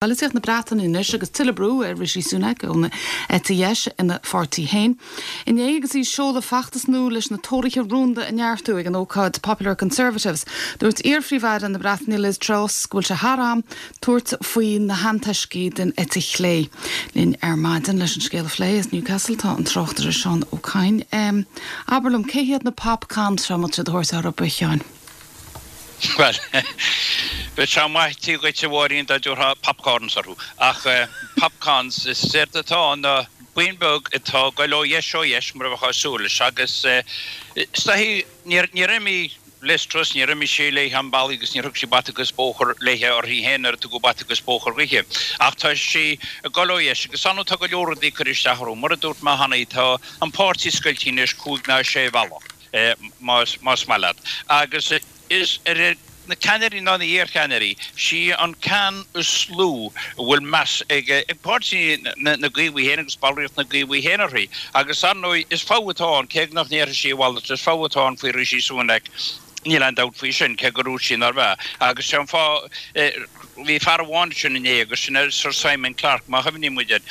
Polaitíocht na Breataine anois agus tuilleadh brú ar Rishi Sunak ón eite dheis ina pháirtí féin. Inné agus í ag seoladh feachtas nua leis na Tóraithe rúnda a neartú ag an ócáid Popular Conservatives, dúirt iar-Phríomh-Aire na Breataine Liz Truss go bhfuil sé thar am tabhairt faoi na hantoiscigh den eite chlé. Linn ar maidin leis an scéal a phlé as Newcastle tá an tráchtaire Seán Ó Cadhain. Abair liom, cé hiad na Popcons seo a mbíonn siad ag tabhairt orthu, a Sheáin? Bhuel, bheadh sé maith dhuit, a Mháirín, dá dtabharfá popcorns orthu. Ach popcons, is éard atá ann ná buíon beag atá ag goil ó dheis ó dheis, mar a bheifeá ag súil leis. Agus is dóichí, níor imigh Liz Truss, níor imigh sí léi chun bealaigh agus níor thug sí bata agus bóthar léi uirthi féin nuair a tugadh bata agus bóthar dhuithe. Ach tá sí ag goil ó dheis agus ar ndóigh tá go leor rudaí ag cur isteach orthu. Mar a dúirt mé cheana, tá an páirtí scoilte anois cúig ná sé bhealach. más maith leat. Agus is ar na ceannairí ná na hiarcheannairí, sí an ceann is lú a bhfuil meas ag páirtí na gCaomhaigh féin agus ballraíocht na gCaomhaigh féin uirthi. Agus ar ndóigh, is fadhb atá ann, cé nach ndéarfaidh sí a mhalairt, is fadhb atá ann faoi Rishi Sunak. Níl aon dabht faoi sin, cé gur dhúirt sí nár bh'ea. Agus sé an fáth, bhí fear amháin ansin inné agus sin é Sir Simon Clarke, má chuimhníonn muid air.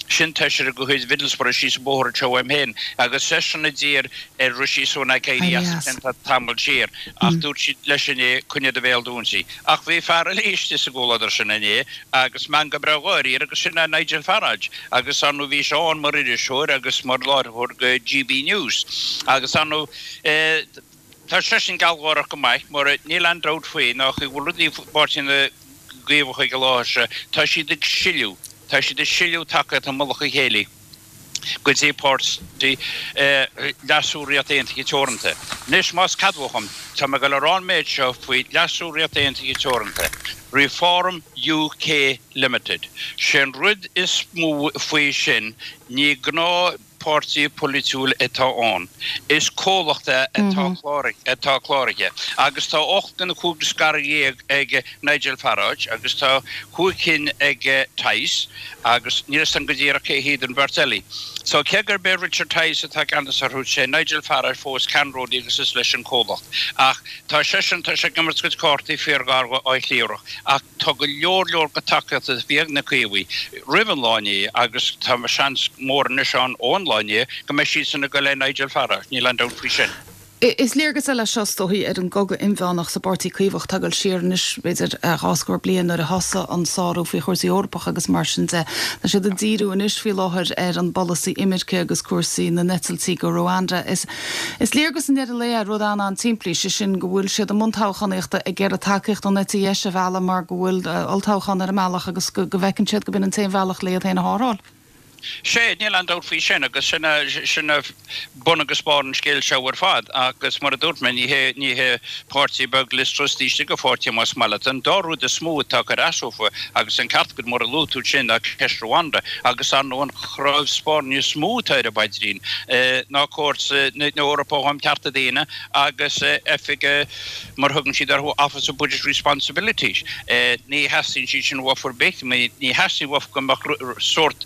Sin taoiseach de chuid Mhiddlesbrough síos an bóthar anseo uaim féin agus seisean a d'iarr ar Rishi Sunak éirí as an tamall siar ach dúirt siad leis inné coinnigh do bhéal dúinte. Ach bhí fear eile istigh sa gcomhluadar sin inné agus meangadh breá gáire air agus sin é Nigel Farage agus ar ndóigh bhí sé ann mar iriseoir agus mar láithreoir do GB News agus ar ndóigh Tá seisean gealgháireach go maith, mar níl aon dabht faoi ná go bhfuil rudaí i bPáirtí na gCaomhach ag an láthair seo, tá siad ag sileadh, tá siad ag sileadh tacaíocht i mullach a chéile go dtí páirtí Leasú Ríocht Aontaithe Teoranta. Anois, más ceadmhach dhom, tá mé ag dul a rá an méid seo faoi Leasú Ríocht Aontaithe Teoranta, Reform UK Limited. Sé an rud is mó faoi sin, ní gnáth. Páirtí polaitiúil atá ann. Is comhlacht é atá cláraithe agus tá 8 den chúig scaradh dhéag ag Nigel Farage agus tá chúig cinn ag Tice agus níl fhios agam go díreach cé hiad an bheirt eile. So cé gurb é Richard Tice atá i gceannas orthu, sé Nigel Farage fós ceannródaí agus is leis an comhlacht. Ach tá seisean, tá sé ag imirt a chuid cártaí fíor ghar dá chliabhrach ach Tá go leor leor de tacaíocht a bhí ag na Caomhaigh roimh an lá inné agus tá seans mór anois ann ón lá inné go mbeidh siadsan ag dul le Nigel Farage, níl aon dabht faoi sin. Is léargas eile seo, is dóichí, ar an gcogadh inmheánach sa bPáirtí Caomhach atá ag dul siar anois b'fhéidir 20 scór bliain nuair a thosaigh an sárú faoi chúrsaí Eorpacha agus mar sin de. Tá siad ag díriú anois faoi láthair ar an bpolasaí imirce agus cúrsaí na n-eitiltí go Rwanda. Is Is léargas i ndeireadh lae ar rud an-an-tsimplí, sé sin go bhfuil siad i mbun toghchánaíochta ag iarraidh tacaíocht ón eite dheis a mhealladh mar go bhfuil olltoghchán ar an mbealach agus go bhfeiceann siad go b'in an t-aon bhealach le iad féin a shárú. Sea, níl aon dabht faoi sin agus sin sin bun agus barr an scéil seo ar fad agus mar a dúirt mé, ní hé ní hé páirtí beag Liz Truss taobh istigh de pháirtí más maith leat. An dá rud is mó atá ag cur as dófa agus an ceart agat mar a luaigh tú sin ná ceist Rwanda agus ar ndóigh an chnámh spairne is mó atá ar an bpaidrín ná Cúirt na hEorpa um Chearta Daonna agus oifig, mar a thugann siad orthu, Office of Budget Responsibility. Ní theastaíonn siad sin uafa ar bith, ní theastaíonn uafa go mbeadh sórt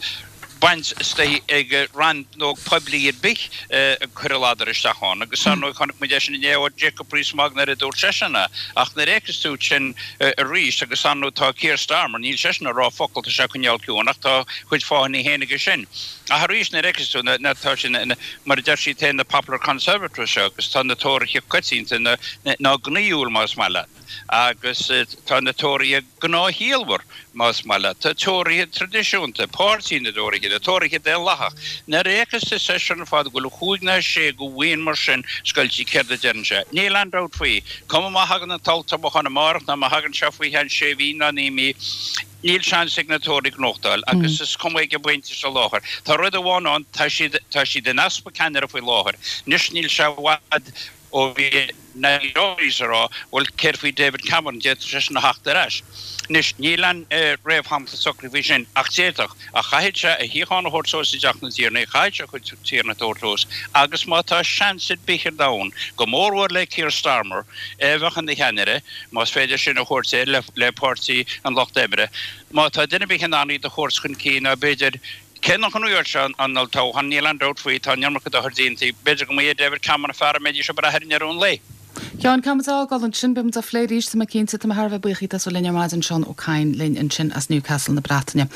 baint istigh ag rannóg poiblí ar bith ag cur a ladar isteach ann. Agus ar ndóigh chonaic muid é sin inné ó Jacob Rees-Mogg nuair a dúirt seisean é. Ach nuair a fheiceas tú sin arís agus ar ndóigh tá Keir Starmer, níl seisean ag rá focal, tá sé ag coinneáil ciúin ach tá a chuid fáthanna féin aige sin. Ach arís nuair a fheiceas tú na, tá sin, mar a deir siad féin, na Popular Conservatives seo agus tá na Tóraithe coitianta ná gnaíúil más maith leat agus tá na Tóraithe gnáthchiallmhar más maith leat. Tá Tóraithe traidisiúnta, Páirtí na dTóraithe, na Tóraithe Daonlathach. Nuair a fheiceas tú seisean ar fad go bhfuil chúig ná sé de bhuíon mar sin scoilte céard a deireann sé? Níl aon dabht faoi. Cuma má thagann an t-olltoghchán amárach ná má thagann sé faoi cheann sé mhí ná 9 mí, Níl seans ag na Tóraithe gnóthachtáil agus is cuma ag an bpointe seo láthair. Tá rud amháin ann, tá siad, tá siad in easpa ceannaire faoi láthair. Anois níl sé i bhfad ó bhí na Tories ag rá, bhuel céard faoi David Cameron, d'fhéadfadh seisean a theacht ar ais. Anois níl aon réamhshampla socraithe faoi sin ach d'fhéadfadh. Ach chaithfeadh sé a shuíochán a thabhairt suas i dTeach na dTiarnaí, chaithfeadh sé a chuid tiarna a thabhairt suas agus má tá seans ar bith ar domhan, go mórmhór le Keir Starmer, é a bheadh ina cheannaire, más féidir sin a thabhairt air le Páirtí an Lucht Oibre. Má tá duine ar bith in ann iad a thabhairt chun cinn ná b'fhéidir, cé nach ngnóthóidh sé an olltoghchán, níl aon dabht faoi, tá an iomarca dochair déanta, b'fhéidir go mba é David Cameron an fear a mbeidís ag brath air i ndeireadh an lae. Sheáin, caithfidh muid a fhágáil ansin, beidh muid á phlé arís, tá mé cinnte. Tá mé thar a bheith buíoch díot as a bheith linn ar maidin, Seán Ó Cadhain linn ansin as Newcastle na Breataine.